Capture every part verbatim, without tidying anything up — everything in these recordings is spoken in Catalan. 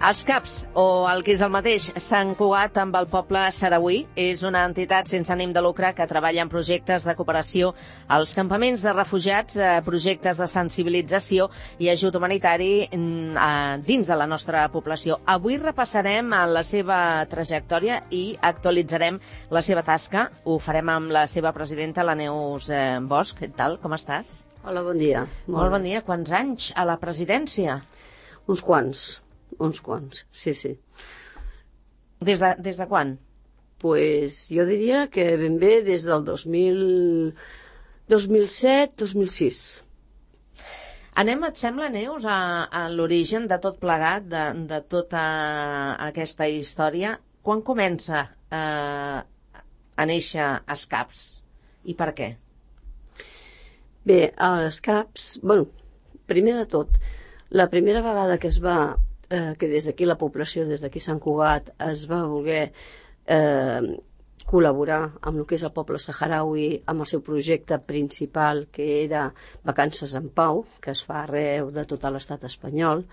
Els CAPs, o el que és el mateix, Sant Cugat amb el poble sarauí, és una entitat sense ànim de lucre que treballa en projectes de cooperació als campaments de refugiats, projectes de sensibilització i ajut humanitari dins de la nostra població. Avui repassarem la seva trajectòria i actualitzarem la seva tasca. Ho farem amb la seva presidenta, la Neus Bosch. Què tal? Com estàs? Hola, bon dia. Molt, Molt bon dia. Quants anys a la presidència? Uns quants. Uns quants, sí, sí. Des de, des de quan? Pues jo diria que ben bé des del dos mil, dos mil set, dos mil sis. Anem, et sembla, Neus, a, a l'origen de tot plegat, de, de tota aquesta història. Quan comença eh, a néixer els CAPs i per què? Bé, els CAPs, bueno, primer de tot, la primera vegada que es va Eh, que des d'aquí la població, des d'aquí Sant Cugat, es va voler eh, col·laborar amb el que és el poble saharaui, amb el seu projecte principal, que era Vacances en Pau, que es fa arreu de tot l'estat espanyol,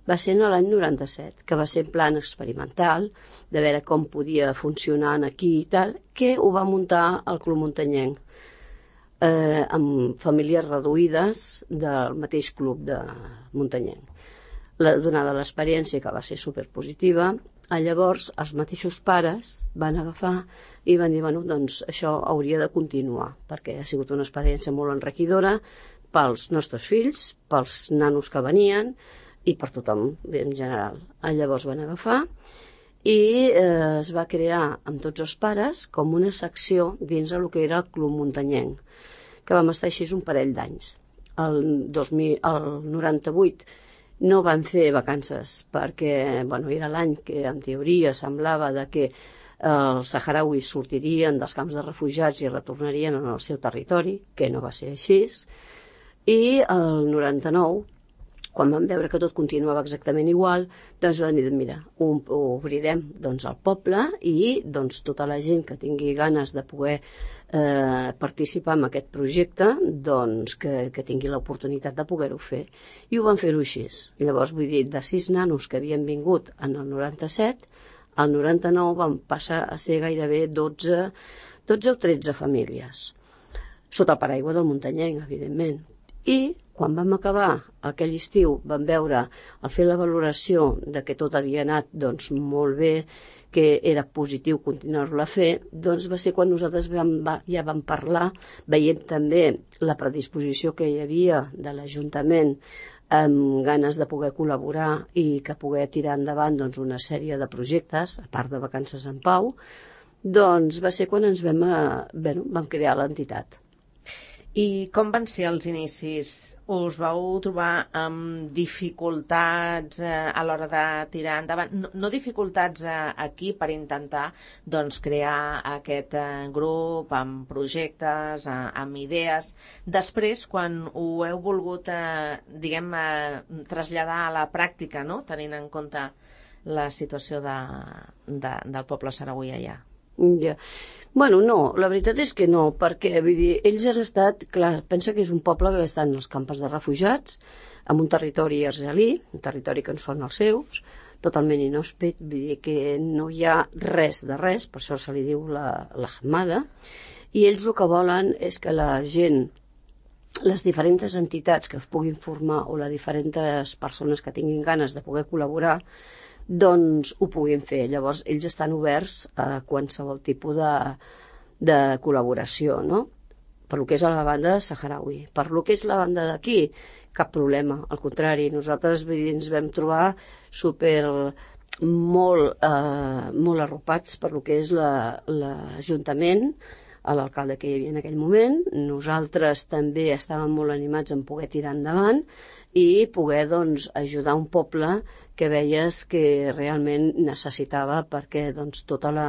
va ser en l'any noranta-set, que va ser en plan experimental, de veure com podia funcionar aquí i tal, que ho va muntar el Club Muntanyenc, eh, amb famílies reduïdes del mateix club de Muntanyenc. La, donada l'experiència, que va ser superpositiva, llavors els mateixos pares van agafar i van dir, bueno, doncs això hauria de continuar, perquè ha sigut una experiència molt enriquidora pels nostres fills, pels nanos que venien i per tothom en general. Llavors van agafar i eh, es va crear amb tots els pares com una secció dins del que era el Club Muntanyenc, que vam estar així un parell d'anys. El, dos mil, el noranta-vuit no van fer vacances perquè, bueno, era l'any que en teoria semblava de que els saharauis sortirien dels camps de refugiats i retornarien al seu territori, que no va ser així, i el noranta-nou, quan van veure que tot continuava exactament igual, doncs van dir, mira, ho obrirem doncs, al poble i doncs, tota la gent que tingui ganes de poder eh, participar en aquest projecte, doncs que, que tingui l'oportunitat de poder-ho fer. I ho van fer-ho així. Llavors, vull dir, de sis nanos que havien vingut en el noranta-set, al noranta-nou van passar a ser gairebé dotze, dotze o tretze famílies, sota el paraigua del Muntanyenc, evidentment. I quan vam acabar aquell estiu vam veure, al fer la valoració de que tot havia anat doncs, molt bé, que era positiu continuar-lo a fer, doncs va ser quan nosaltres vam, ja vam parlar, veient també la predisposició que hi havia de l'Ajuntament amb ganes de poder col·laborar i que poder tirar endavant doncs, una sèrie de projectes, a part de Vacances en Pau, doncs va ser quan ens vam, bueno, vam crear l'entitat. I com van ser els inicis? Us vau trobar amb dificultats eh, a l'hora de tirar endavant? No, no dificultats eh, aquí per intentar doncs, crear aquest eh, grup amb projectes, eh, amb idees. Després, quan ho heu volgut eh, diguem, eh, traslladar a la pràctica, no? Tenint en compte la situació de, de, del poble sarauí allà. Ja. Bueno, no, la veritat és que no, perquè vull dir, ells han estat, clar, pensa que és un poble que està en els camps de refugiats, en un territori argelí, un territori que no són els seus, totalment inhòspit, vull dir que no hi ha res de res, per això se li diu la, la Hamada, i ells el que volen és que la gent, les diferents entitats que es puguin formar o les diferents persones que tinguin ganes de poder col·laborar, doncs ho puguin fer. Llavors ells estan oberts a qualsevol tipus de, de col·laboració, no? Per lo que és a la banda saharaui. Per lo que és la banda d'aquí, cap problema. Al contrari, nosaltres ens vam trobar super molt, eh, molt arropats per lo que és l'Ajuntament, a l'alcalde que hi havia en aquell moment. Nosaltres també estàvem molt animats en poder tirar endavant i poder doncs, ajudar un poble que veies que realment necessitava perquè doncs, tota, la,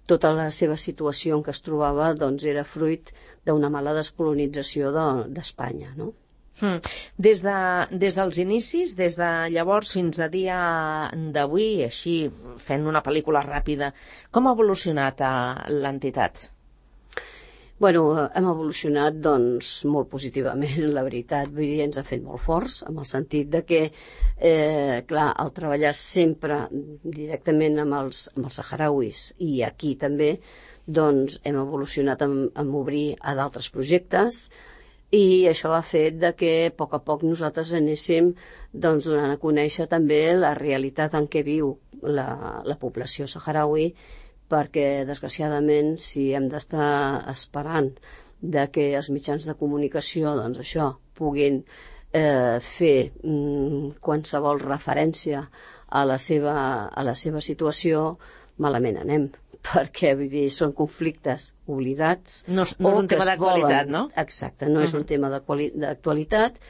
tota la seva situació en què es trobava doncs, era fruit d'una mala descolonització d'Espanya, no? Hmm. Des, de, des dels inicis, des de llavors fins a dia d'avui, així fent una pel·lícula ràpida, com ha evolucionat l'entitat? Bueno, hem evolucionat doncs molt positivament, la veritat, vull dir, ens ha fet molt forts, en el sentit de que, eh, clar, al treballar sempre directament amb els, amb els saharauis i aquí també, doncs hem evolucionat en, en obrir a d'altres projectes i això ha fet de que a poc a poc nosaltres anéssim doncs, donant a conèixer també la realitat en què viu la, la població saharaui, perquè, desgraciadament, si hem d'estar esperant de que els mitjans de comunicació, doncs això, puguin eh, fer mm, qualsevol referència a la seva, a la seva situació, malament anem, perquè, vull dir, són conflictes oblidats. No, no és un tema d'actualitat, no? Exacte, no uh-huh. és un tema d'actualitat,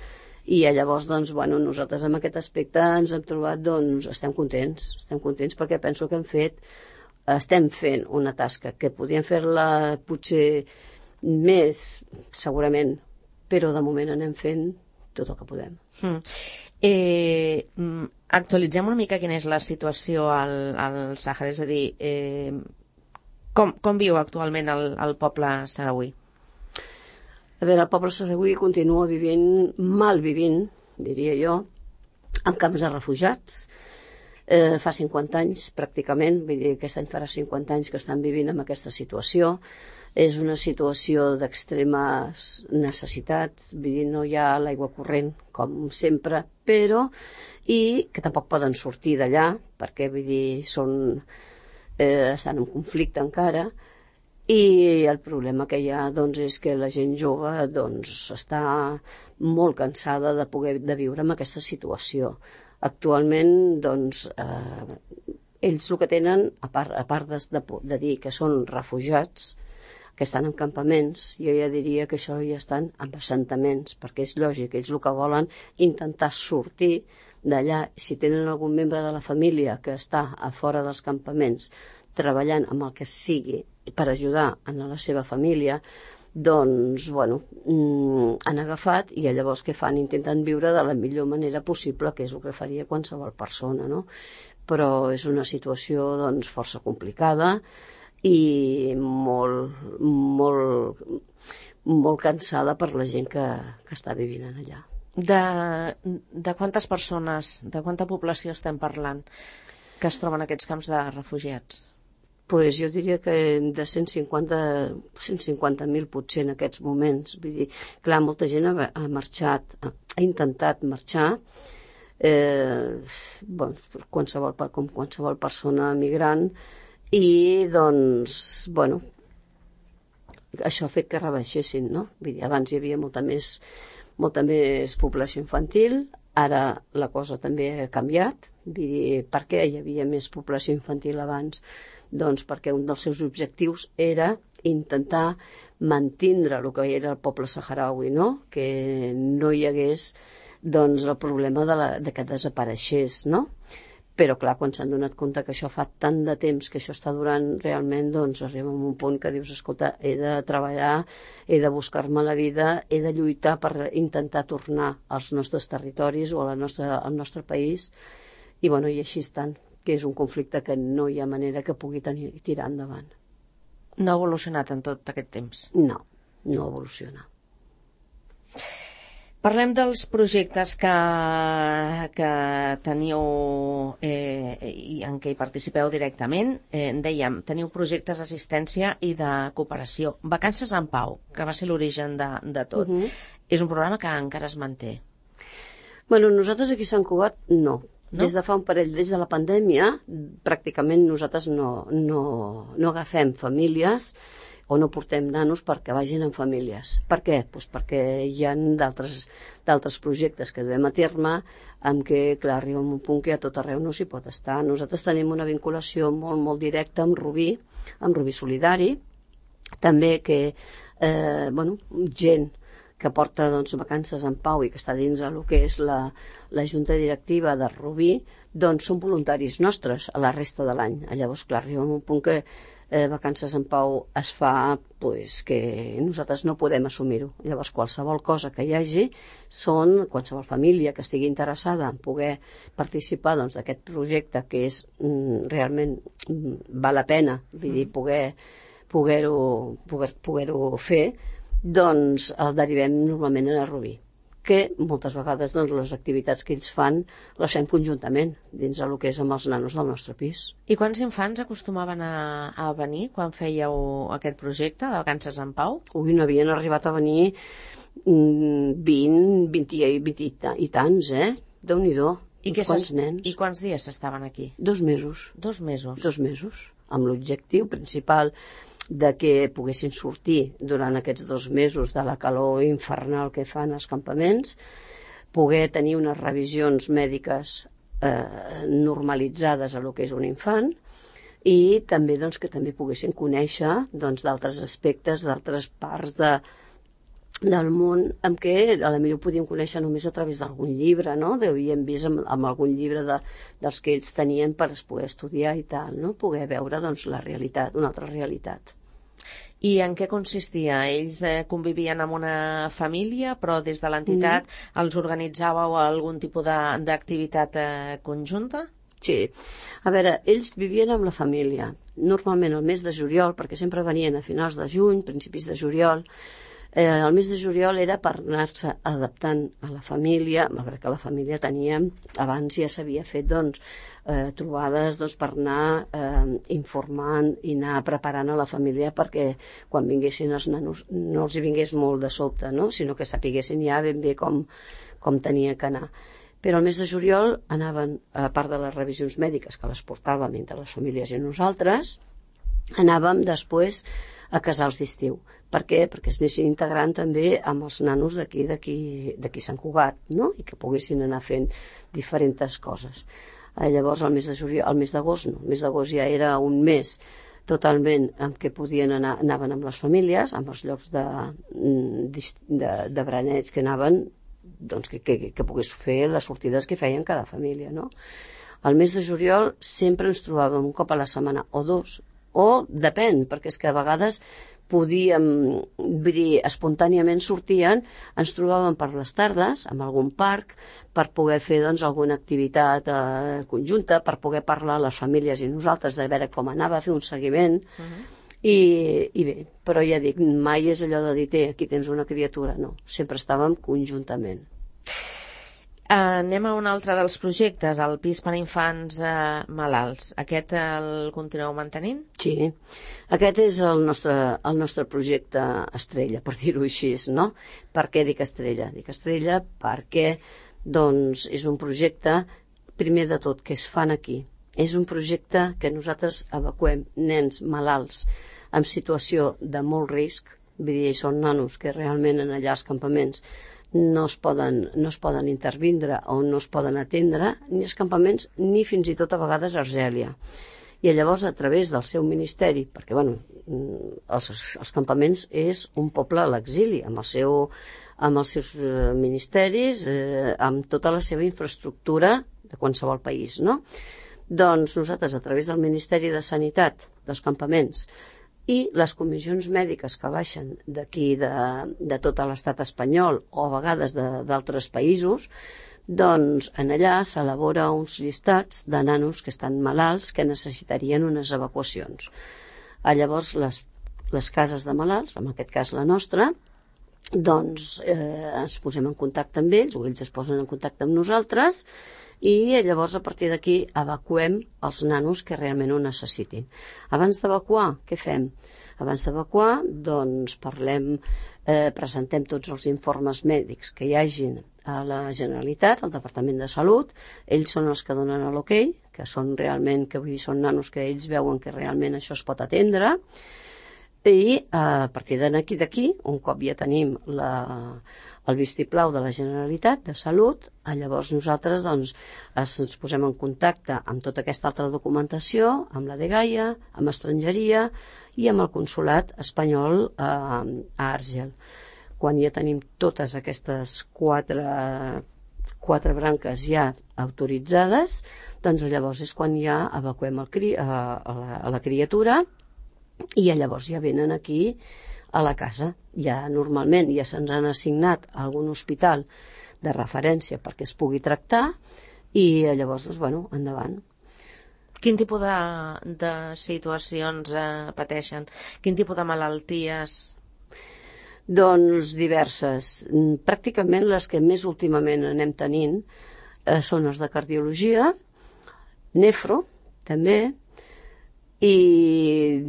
i llavors, doncs, bueno, nosaltres en aquest aspecte ens hem trobat, doncs, estem contents, estem contents perquè penso que hem fet estem fent una tasca que podíem fer-la potser més, segurament, però de moment anem fent tot el que podem. Mm. Eh, actualitzem una mica quina és la situació al, al Sàhara, és a dir, eh, com, com viu actualment el, el poble sarauí? A veure, el poble sarauí continua vivint, mal vivint, diria jo, en camps de refugiats. Eh, fa cinquanta anys, pràcticament, vull dir, aquest any farà cinquanta anys que estan vivint en aquesta situació. És una situació d'extremes necessitats, vull dir, no hi ha l'aigua corrent, com sempre, però, i que tampoc poden sortir d'allà, perquè, vull dir, són, eh, estan en conflicte encara, i el problema que hi ha, doncs, és que la gent jove, doncs, està molt cansada de poder de viure en aquesta situació. Actualment, doncs, eh, ells el que tenen, a part, a part de, de dir que són refugiats, que estan en campaments, jo ja diria que això ja estan en assentaments, perquè és lògic, ells el que volen intentar sortir d'allà. Si tenen algun membre de la família que està a fora dels campaments treballant amb el que sigui per ajudar a la seva família, doncs, bueno, mm, han agafat i llavors què fan? Intenten viure de la millor manera possible, que és el que faria qualsevol persona, no? Però és una situació, doncs, força complicada i molt, molt, molt cansada per la gent que, que està vivint allà. De, de quantes persones, de quanta població estem parlant que es troben en aquests camps de refugiats? Pues jo diria que de cent cinquanta mil potser en aquests moments. Vull dir, clar, molta gent ha, ha marxat, ha, ha intentat marxar, eh, bon, qualsevol, com qualsevol persona migrant, i doncs, bueno, això ha fet que rebaixessin, no? Vull dir, abans hi havia molta més, molta més població infantil, ara la cosa també ha canviat. Vull dir, per què hi havia més població infantil abans? Doncs perquè un dels seus objectius era intentar mantindre el que era el poble saharaui, no? Que no hi hagués, doncs, el problema de, la, de que desapareixés, no? Però, clar, quan s'han donat compte que això fa tant de temps que això està durant realment, doncs arriba a un punt que dius, escolta, he de treballar, he de buscar-me la vida, he de lluitar per intentar tornar als nostres territoris o a la nostra, al nostre país, i, bueno, i així estan, que és un conflicte que no hi ha manera que pugui tenir, tirar endavant. No ha evolucionat en tot aquest temps? No, no evoluciona. Parlem dels projectes que, que teniu eh, i en què hi participeu directament. Eh, dèiem, teniu projectes d'assistència i de cooperació. Vacances en Pau, que va ser l'origen de, de tot. Uh-huh. És un programa que encara es manté. Bueno, nosaltres aquí a Sant Cugat no. No? Des de fa un parell, des de la pandèmia, pràcticament nosaltres no, no, no agafem famílies o no portem nanos perquè vagin en famílies. Per què? Pues perquè hi ha d'altres d'altres projectes que duem a terme amb què, clar, arriba un punt que a tot arreu no s'hi pot estar. Nosaltres tenim una vinculació molt, molt directa amb Rubí, amb Rubí Solidari, també que, eh, bueno, gent que porta, doncs, Vacances en Pau i que està dins el que és la, la junta directiva de Rubí, doncs són voluntaris nostres a la resta de l'any. Llavors, clar, arriba un punt que eh, Vacances en Pau es fa, pues, que nosaltres no podem assumir-ho. Llavors, qualsevol cosa que hi hagi, són qualsevol família que estigui interessada en poder participar, doncs, d'aquest projecte que és mm, realment mm, val la pena, vull dir, poder poder-ho poder, poder-ho fer, doncs el derivem normalment a Rubí, que moltes vegades doncs, les activitats que ells fan les fem conjuntament dins el que és amb els nanos del nostre pis. I quants infants acostumaven a, a venir quan fèieu aquest projecte de Vacances en Pau? Ui, n'havien arribat a venir vint, vint, vint i tants, eh? Déu-n'hi-do, uns quants nens. I quants dies estaven aquí? Dos mesos. Dos mesos? Dos mesos, amb l'objectiu principal de que poguessin sortir durant aquests dos mesos de la calor infernal que fan als campaments, poder tenir unes revisions mèdiques eh, normalitzades a lo que és un infant, i també doncs, que també poguessin conèixer doncs, d'altres aspectes, d'altres parts de, del món amb què a la millor podíem conèixer només a través d'algun llibre, no? Havíem vist amb, amb algun llibre de, dels que ells tenien per poder estudiar i tal, no? Poder veure doncs, la realitat, una altra realitat. I en què consistia? Ells eh, convivien amb una família, però des de l'entitat mm. els organitzàveu algun tipus d'activitat eh, conjunta? Sí. A veure, ells vivien amb la família. Normalment el mes de juliol, perquè sempre venien a finals de juny, principis de juliol. Eh, el mes de juliol era per anar-se adaptant a la família, malgrat que la família tenia, abans ja s'havia fet doncs, eh, trobades doncs, per anar eh, informant i anar preparant a la família perquè quan vinguessin els nanos no els hi vingués molt de sobte, no? Sinó que sapiguessin ja ben bé com, com tenia que anar. Però el mes de juliol anaven, a part de les revisions mèdiques que les portàvem entre les famílies i nosaltres, anàvem després a casals d'estiu. Per què? Perquè es anessin integrant també amb els nanos d'aquí d'aquí Sant Cugat, no? I que poguessin anar fent diferents coses. Eh, llavors, el mes de juliol, el mes d'agost no, el mes d'agost ja era un mes totalment en què podien anar, anaven amb les famílies, amb els llocs de, de, de bereneig que anaven, doncs que, que, que pogués fer les sortides que feien cada família, no? Al mes de juliol sempre ens trobàvem un cop a la setmana o dos, o depèn, perquè és que a vegades podíem, vull dir, espontàniament sortien, ens trobàvem per les tardes en algun parc per poder fer doncs, alguna activitat eh, conjunta, per poder parlar a les famílies i nosaltres de veure com anava, fer un seguiment. Uh-huh. I, i bé, però ja dic, mai és allò de dir, té, aquí tens una criatura, no, sempre estàvem conjuntament. Anem a un altre dels projectes, el pis per a infants eh, malalts. Aquest el continueu mantenint? Sí, aquest és el nostre, el nostre projecte estrella, per dir-ho així, no? Per què dic estrella? Dic estrella perquè doncs, és un projecte, primer de tot, que es fan aquí. És un projecte que nosaltres evacuem nens malalts en situació de molt risc, vull dir, són nanos que realment en allà als campaments no es poden, no es poden intervindre o no es poden atendre ni els campaments ni fins i tot a vegades a Argèlia. I llavors a través del seu ministeri, perquè bueno, els, els campaments és un poble a l'exili, amb, el seu, amb els seus ministeris, eh, amb tota la seva infraestructura de qualsevol país, no? Doncs nosaltres a través del Ministeri de Sanitat dels campaments i les comissions mèdiques que baixen d'aquí de, de tot l'estat espanyol o a vegades d'altres països, doncs en allà s'elabora uns llistats de nanos que estan malalts que necessitarien unes evacuacions. A llavors les, les cases de malalts, en aquest cas la nostra, doncs eh, ens posem en contacte amb ells o ells es posen en contacte amb nosaltres i llavors a partir d'aquí evacuem els nanos que realment ho necessitin. Abans d'evacuar, què fem? Abans d'evacuar, doncs parlem, eh, presentem tots els informes mèdics que hi hagin a la Generalitat, al Departament de Salut, ells són els que donen l'ok, que són realment, que vull dir, són nanos que ells veuen que realment això es pot atendre, i a partir d'aquí, d'aquí, un cop ja tenim la, el vistiplau de la Generalitat de Salut, llavors nosaltres doncs, ens posem en contacte amb tota aquesta altra documentació, amb la dgaia, amb estrangeria i amb el consolat espanyol eh, a Àrgel. Quan ja tenim totes aquestes quatre, quatre branques ja autoritzades, doncs llavors és quan ja evacuem el cri, a, a, la, a la criatura i llavors ja venen aquí a la casa. Ja normalment ja se'ns han assignat a algun hospital de referència perquè es pugui tractar i llavors, doncs, bueno, endavant. Quin tipus de, de situacions eh, pateixen? Quin tipus de malalties? Doncs diverses. Pràcticament les que més últimament anem tenint eh, són les de cardiologia, nefro, també, i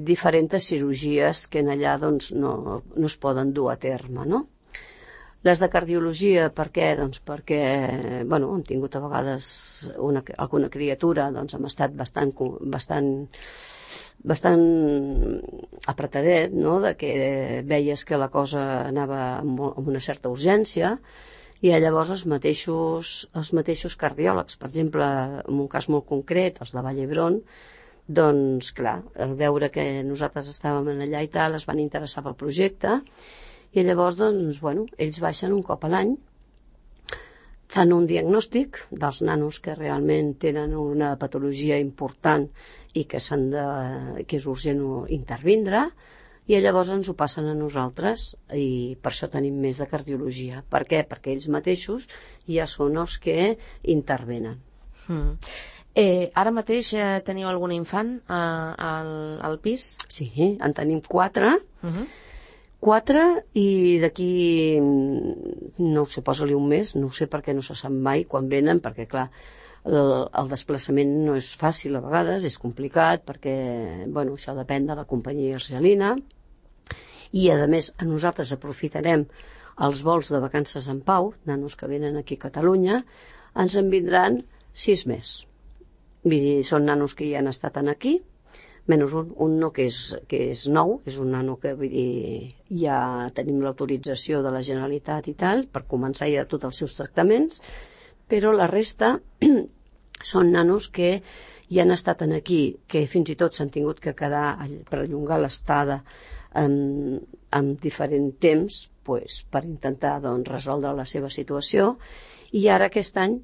diferents cirurgies que en allà doncs, no, no es poden dur a terme, no? Les de cardiologia, per què? Doncs perquè, bueno, hem tingut a vegades una, alguna criatura, doncs hem estat bastant, bastant, bastant apretadet, no?, de que veies que la cosa anava amb, amb una certa urgència, i llavors els mateixos, els mateixos cardiòlegs, per exemple, en un cas molt concret, els de Vall d'Hebron, doncs, clar, al veure que nosaltres estàvem allà i tal, es van interessar pel projecte, i llavors, doncs, bueno, ells baixen un cop a l'any, fan un diagnòstic dels nanos que realment tenen una patologia important i que, s'han de, que és urgent intervindre, i llavors ens ho passen a nosaltres, i per això tenim més de cardiologia. Per què? Perquè ells mateixos ja són els que intervenen. Mm. Eh, ara mateix eh, teniu algun infant eh, al, al pis? Sí, en tenim quatre. Uh-huh. Quatre, i d'aquí, no ho sé, posa-li un mes, no ho sé perquè no se sap mai quan venen, perquè clar, el, el desplaçament no és fàcil a vegades, és complicat, perquè, bueno, això depèn de la companyia argelina, i a més a nosaltres aprofitarem els vols de vacances en pau, nanos que venen aquí a Catalunya, ens en vindran sis més. Vull dir, són nanos que ja han estat aquí, menys un, un no que és, que és nou, és un nano que, vull dir, ja tenim l'autorització de la Generalitat i tal, per començar ja tots els seus tractaments, però la resta són nanos que ja han estat aquí, que fins i tot s'han tingut que quedar per allongar l'estada en, en diferent temps, pues, per intentar doncs, resoldre la seva situació, i ara aquest any,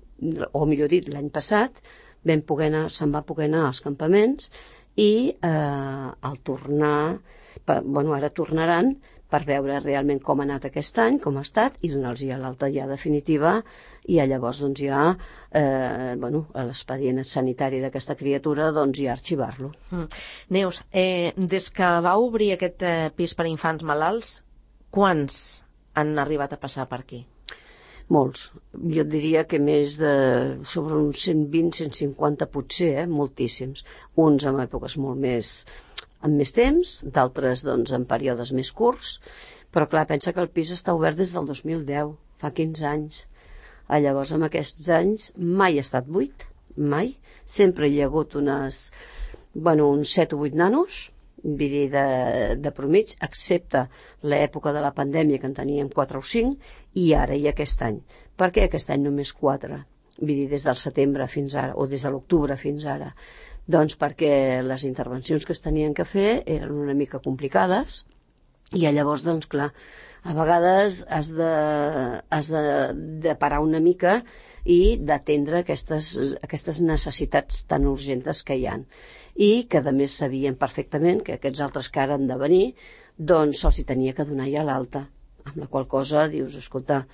o millor dit, l'any passat, vam poder anar, se'n va poder anar als campaments, i eh, al tornar, per, bueno, ara tornaran per veure realment com ha anat aquest any, com ha estat, i donar-los ja l'alta ja definitiva, i llavors doncs ja eh, bueno, l'expedient sanitari d'aquesta criatura doncs ja arxivar-lo. Mm. Neus, eh, des que va obrir aquest eh, pis per infants malalts, quants han arribat a passar per aquí? Molts. Jo diria que més de sobre uns cent vint a cent cinquanta potser, eh? Moltíssims. Uns en èpoques molt més amb més temps, d'altres doncs en períodes més curts, però clar, pensa que el pis està obert des del dos mil deu, fa quinze anys. Ah, llavors, en aquests anys mai ha estat buit, mai. Sempre hi ha hagut unes, bueno, uns set o vuit nanos, vull dir, de, de promig, excepte l'època de la pandèmia, que en teníem quatre o cinc, i ara i aquest any. Per què aquest any només quatre? Vull dir, des del setembre fins ara, o des de l'octubre fins ara. Doncs perquè les intervencions que es tenien que fer eren una mica complicades, i llavors, doncs, clar, a vegades has de, has de, de parar una mica i d'atendre aquestes, aquestes necessitats tan urgents que hi ha. I que, a més, sabien perfectament que aquests altres que ara han de venir, doncs se'ls hi tenia que donar ja l'alta. Amb la qual cosa dius, escolta,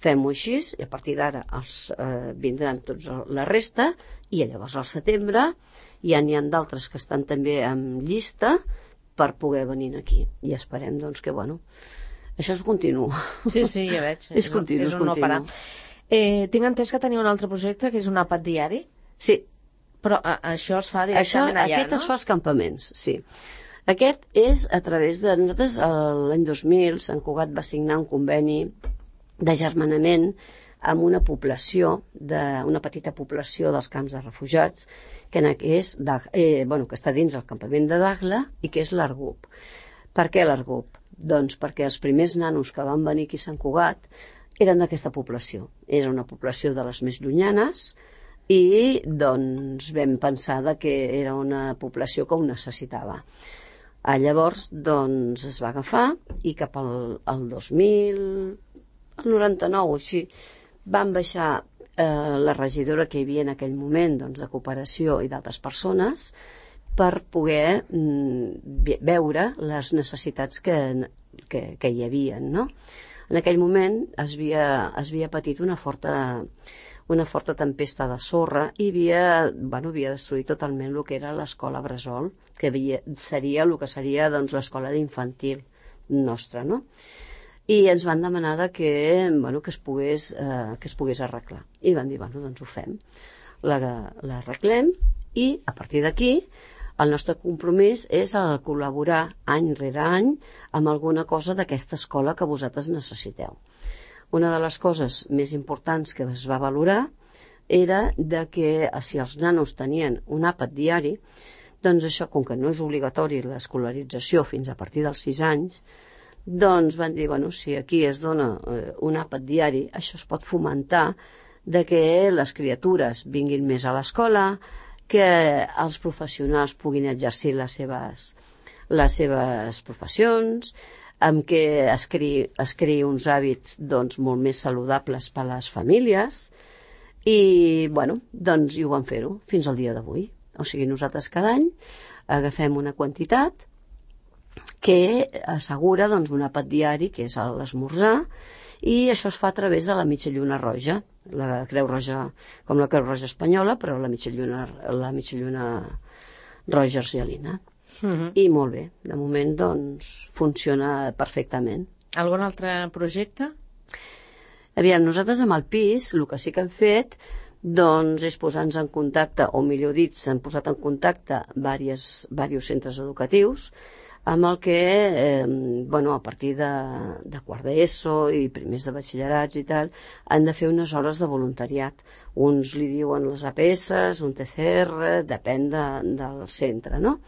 fem-ho així, i a partir d'ara els eh, vindran tots la resta, i llavors al setembre ja n'hi ha d'altres que estan també en llista per poder venir aquí. I esperem, doncs, que, bueno, això és continu. Sí, sí, ja veig. és continu, és, és un no parar. Eh, tinc entès que teniu un altre projecte, que és un àpat diari? Sí. Però a, això es fa directament això, allà, aquest no? es fa als campaments, sí. Aquest és a través de... Nosaltres l'any dos mil Sant Cugat va signar un conveni d'agermanament amb una població, de, una petita població dels camps de refugiats, que, és de, eh, bueno, que està dins el campament de Dagla i que és l'Argup. Per què l'Argup? Doncs perquè els primers nanos que van venir aquí a Sant Cugat eren d'aquesta població. Era una població de les més llunyanes, i doncs vam pensar que era una població que ho necessitava. Ah, llavors doncs es va agafar, i cap al, al dos mil, al noranta-nou o així, van baixar eh, la regidora que hi havia en aquell moment, doncs, de cooperació i d'altres persones, per poder mm, veure les necessitats que, que, que hi havia, no? En aquell moment es havia, es havia patit una forta, una forta tempesta de sorra i havia, bueno, havia destruït totalment el que era l'escola Bressol, que havia, seria el que seria doncs, l'escola d'infantil nostra, no? I ens van demanar de que, bueno, que, es pogués, eh, que es pogués arreglar. I van dir, bueno, doncs ho fem. L'arreglem i a partir d'aquí el nostre compromís és el col·laborar any rere any amb alguna cosa d'aquesta escola que vosaltres necessiteu. Una de les coses més importants que es va valorar era de que si els nanos tenien un àpat diari, doncs això, com que no és obligatori l'escolarització fins a partir dels sis anys, doncs van dir, bueno, si aquí es dona eh, un àpat diari, això es pot fomentar de que les criatures vinguin més a l'escola, que els professionals puguin exercir les seves, les seves professions, amb què es creï, es creï uns hàbits doncs, molt més saludables per a les famílies i, bueno, doncs i ho van fer-ho fins al dia d'avui. O sigui, nosaltres cada any agafem una quantitat que assegura doncs, un àpat diari, que és l'esmorzar, i això es fa a través de la mitja lluna roja, la Creu Roja, com la Creu Roja espanyola, però la mitja lluna, la mitja lluna roja argelina. Uh-huh. I molt bé, de moment doncs funciona perfectament. Algun altre projecte? Aviam, nosaltres amb el pis el que sí que hem fet doncs és posar-nos en contacte, o millor dit, s'han posat en contacte diversos, diversos centres educatius amb el que, eh, bueno, a partir de, de quart d'ESO i primers de batxillerats i tal, han de fer unes hores de voluntariat. Uns li diuen les A P S, un T C R, depèn de, del centre, no?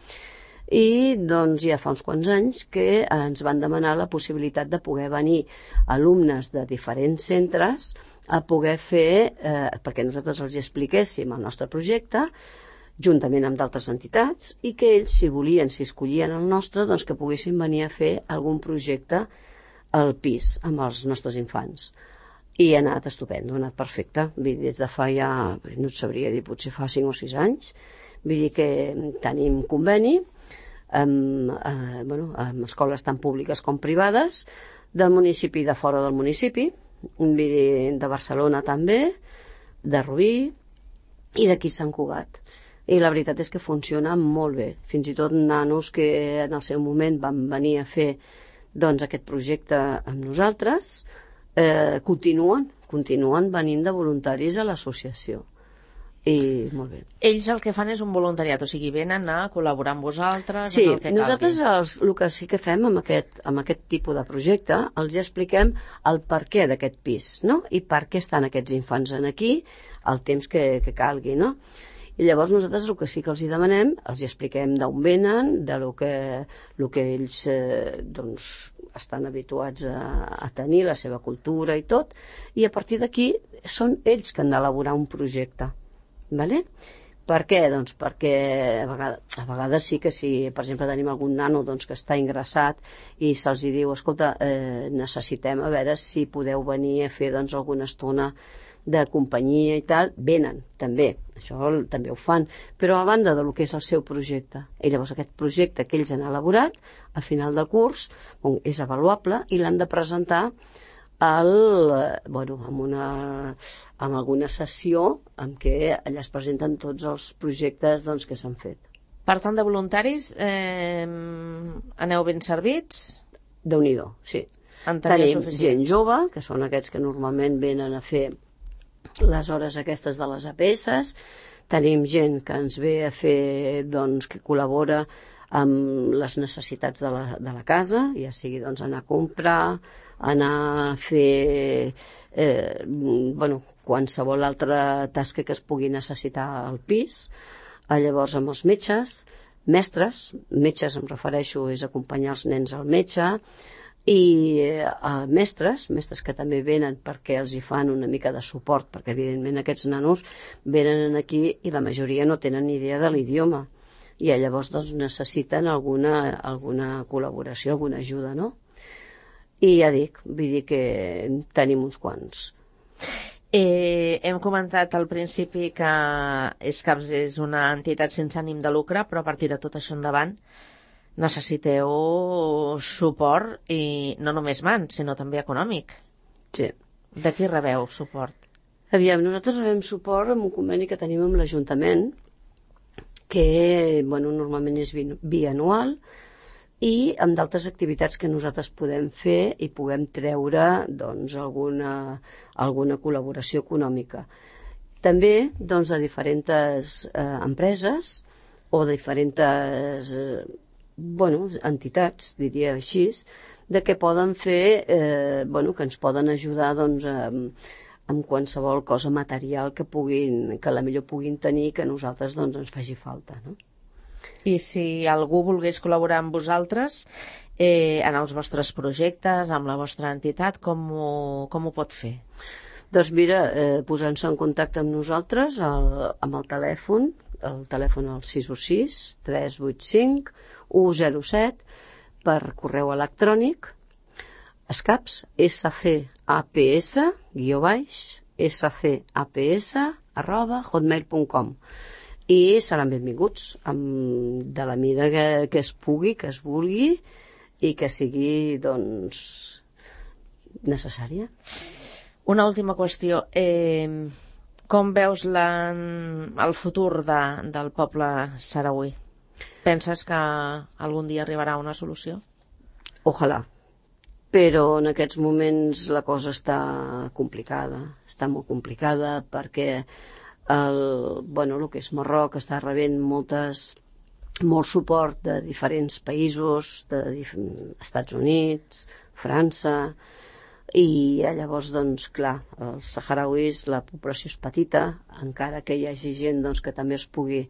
I doncs ja fa uns quants anys que ens van demanar la possibilitat de poder venir alumnes de diferents centres a poder fer, eh, perquè nosaltres els expliquéssim el nostre projecte, juntament amb d'altres entitats, i que ells, si volien, si escollien el nostre, doncs que poguessin venir a fer algun projecte al pis amb els nostres infants. I ha anat estupendo, ha anat perfecte. Vull dir, des de fa ja, no et sabria dir, potser fa cinc o sis anys, vull dir que tenim conveni amb, eh, bueno, amb escoles tant públiques com privades, del municipi i de fora del municipi, vull dir, de Barcelona també, de Rubí i d'aquí Sant Cugat. I la veritat és que funciona molt bé. Fins i tot nanos que en el seu moment van venir a fer doncs, aquest projecte amb nosaltres eh, continuen, continuen venint de voluntaris a l'associació. I molt bé. Ells el que fan és un voluntariat, o sigui, venen a col·laborar amb vosaltres sí, en el que calgui. Nosaltres els, el que sí que fem amb aquest, amb aquest tipus de projecte, els expliquem el perquè d'aquest pis, no? I per què estan aquests infants aquí el temps que, que calgui, no? I llavors nosaltres el que sí que els hi demanem, els hi expliquem d'on venen, de lo que, lo que ells eh, doncs, estan habituats a, a tenir, la seva cultura i tot, i a partir d'aquí són ells que han d'elaborar un projecte. Vale? Per què? Doncs perquè a vegades, a vegades sí que si, per exemple, tenim algun nano doncs, que està ingressat i se'ls diu, escolta, eh, necessitem a veure si podeu venir a fer doncs, alguna estona de companyia i tal, venen, també, això també ho fan, però a banda de lo que és el seu projecte. I llavors aquest projecte que ells han elaborat, a final de curs, bon, és avaluable i l'han de presentar el, bueno, amb, una, amb alguna sessió en què allà es presenten tots els projectes doncs, que s'han fet. Per tant, de voluntaris, eh, aneu ben servits? Déu-n'hi-do, sí. Tenim gent jove, que són aquests que normalment venen a fer les hores aquestes de les A P S, tenim gent que ens ve a fer, doncs, que col·labora amb les necessitats de la, de la casa, ja sigui doncs, anar a comprar, anar a fer eh, bueno, qualsevol altra tasca que es pugui necessitar al pis. Llavors amb els metges, mestres, metges em refereixo, és acompanyar els nens al metge, i eh, mestres, mestres que també venen perquè els hi fan una mica de suport, perquè evidentment aquests nanos venen aquí i la majoria no tenen ni idea de l'idioma i llavors doncs, necessiten alguna, alguna col·laboració, alguna ajuda, no? I ja dic, vull dir que tenim uns quants. Eh, hem comentat al principi que ESCAPS és una entitat sense ànim de lucre, però a partir de tot això endavant necessiteu suport, i no només mans, sinó també econòmic. Sí. De qui rebeu suport? Aviam, nosaltres rebem suport amb un conveni que tenim amb l'Ajuntament, que bueno, normalment és bianual, i amb d'altres activitats que nosaltres podem fer i puguem treure doncs, alguna, alguna col·laboració econòmica. També doncs, de diferents eh, empreses o de diferents eh, bueno, entitats, diria així, de què poden fer, eh, bueno, que ens poden ajudar doncs, amb, amb qualsevol cosa material que puguin, que la millor puguin tenir, que a nosaltres doncs, ens faci falta, no? I si algú volgués col·laborar amb vosaltres eh, en els vostres projectes, amb la vostra entitat, com ho, com ho pot fer? Doncs mira, eh, posant-se en contacte amb nosaltres el, amb el telèfon, el telèfon al sis u sis, tres vuit cinc, u zero set, per correu electrònic, escaps, S C A P S, guió baix, S C A P S, arroba, hotmail punt com. I seran benvinguts amb, de la mida que, que es pugui, que es vulgui i que sigui doncs necessària. Una última qüestió. Eh, com veus la, el futur de, del poble sarauí? Penses que algun dia arribarà una solució? Ojalà. Però en aquests moments la cosa està complicada. Està molt complicada perquè el, bueno, el que és Marroc està rebent moltes, molt suport de diferents països, de dif Estats Units, França, i llavors, doncs, clar, els saharauis, la població és petita, encara que hi hagi gent doncs, que també es pugui,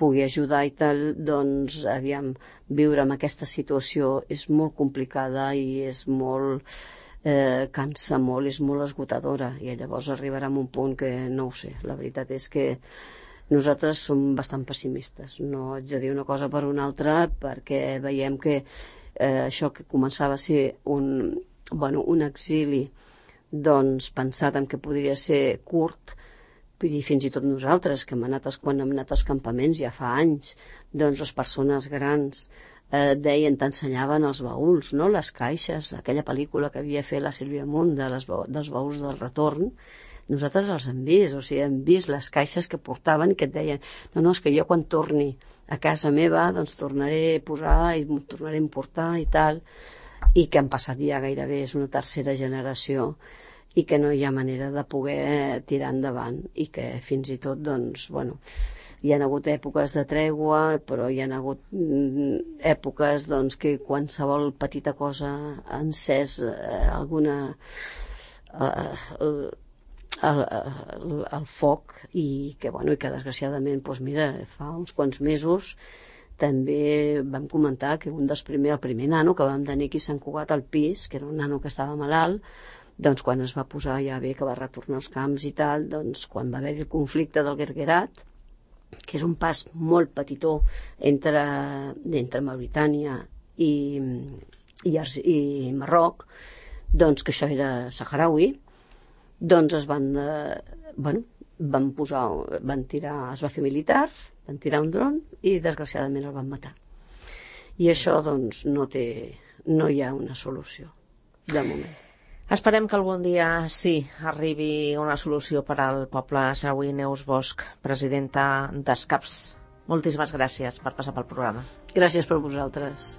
pugui ajudar i tal, doncs, aviam, viure en aquesta situació és molt complicada i és molt... Eh, cansa molt, és molt esgotadora, i llavors arribarà a un punt que no ho sé. La veritat és que nosaltres som bastant pessimistes, no haig de dir una cosa per una altra, perquè veiem que eh, això que començava a ser un, bueno, un exili doncs pensat en que podria ser curt, i fins i tot nosaltres que hem anat, quan hem anat als campaments ja fa anys, doncs les persones grans Eh, deien, t'ensenyaven els baúls, no? Les caixes, aquella pel·lícula que havia fet la Sílvia Munt de les, dels baúls del retorn, nosaltres els hem vist, o sigui, hem vist les caixes que portaven i que et deien, no, no, és que jo quan torni a casa meva, doncs tornaré a posar i m'ho tornaré a importar i tal, i que han passat ja gairebé, és una tercera generació, i que no hi ha manera de poder tirar endavant, i que fins i tot, doncs, bueno, hi ha hagut èpoques de tregua, però hi ha hagut èpoques doncs, que qualsevol petita cosa ha encès eh, alguna eh, el, el, el, el foc i que, bueno, i que desgraciadament doncs mira, fa uns quants mesos també vam comentar que un dels primers, el primer nano que vam tenir aquí a Sant Cugat al pis, que era un nano que estava malalt, doncs quan es va posar ja bé que va retornar als camps i tal, doncs quan va haver el conflicte del Guerguerat, que és un pas molt petitó entre, entre Mauritània i, i, i Marroc, doncs que això era saharaui, doncs es van, eh, bueno, van posar, van tirar, es va fer militar, van tirar un dron i desgraciadament el van matar. I això doncs no té, no hi ha una solució de moment. Esperem que algun dia sí arribi una solució per al poble sarauí. Neus Bosch, presidenta d'Escaps. Moltíssimes gràcies per passar pel programa. Gràcies per vosaltres.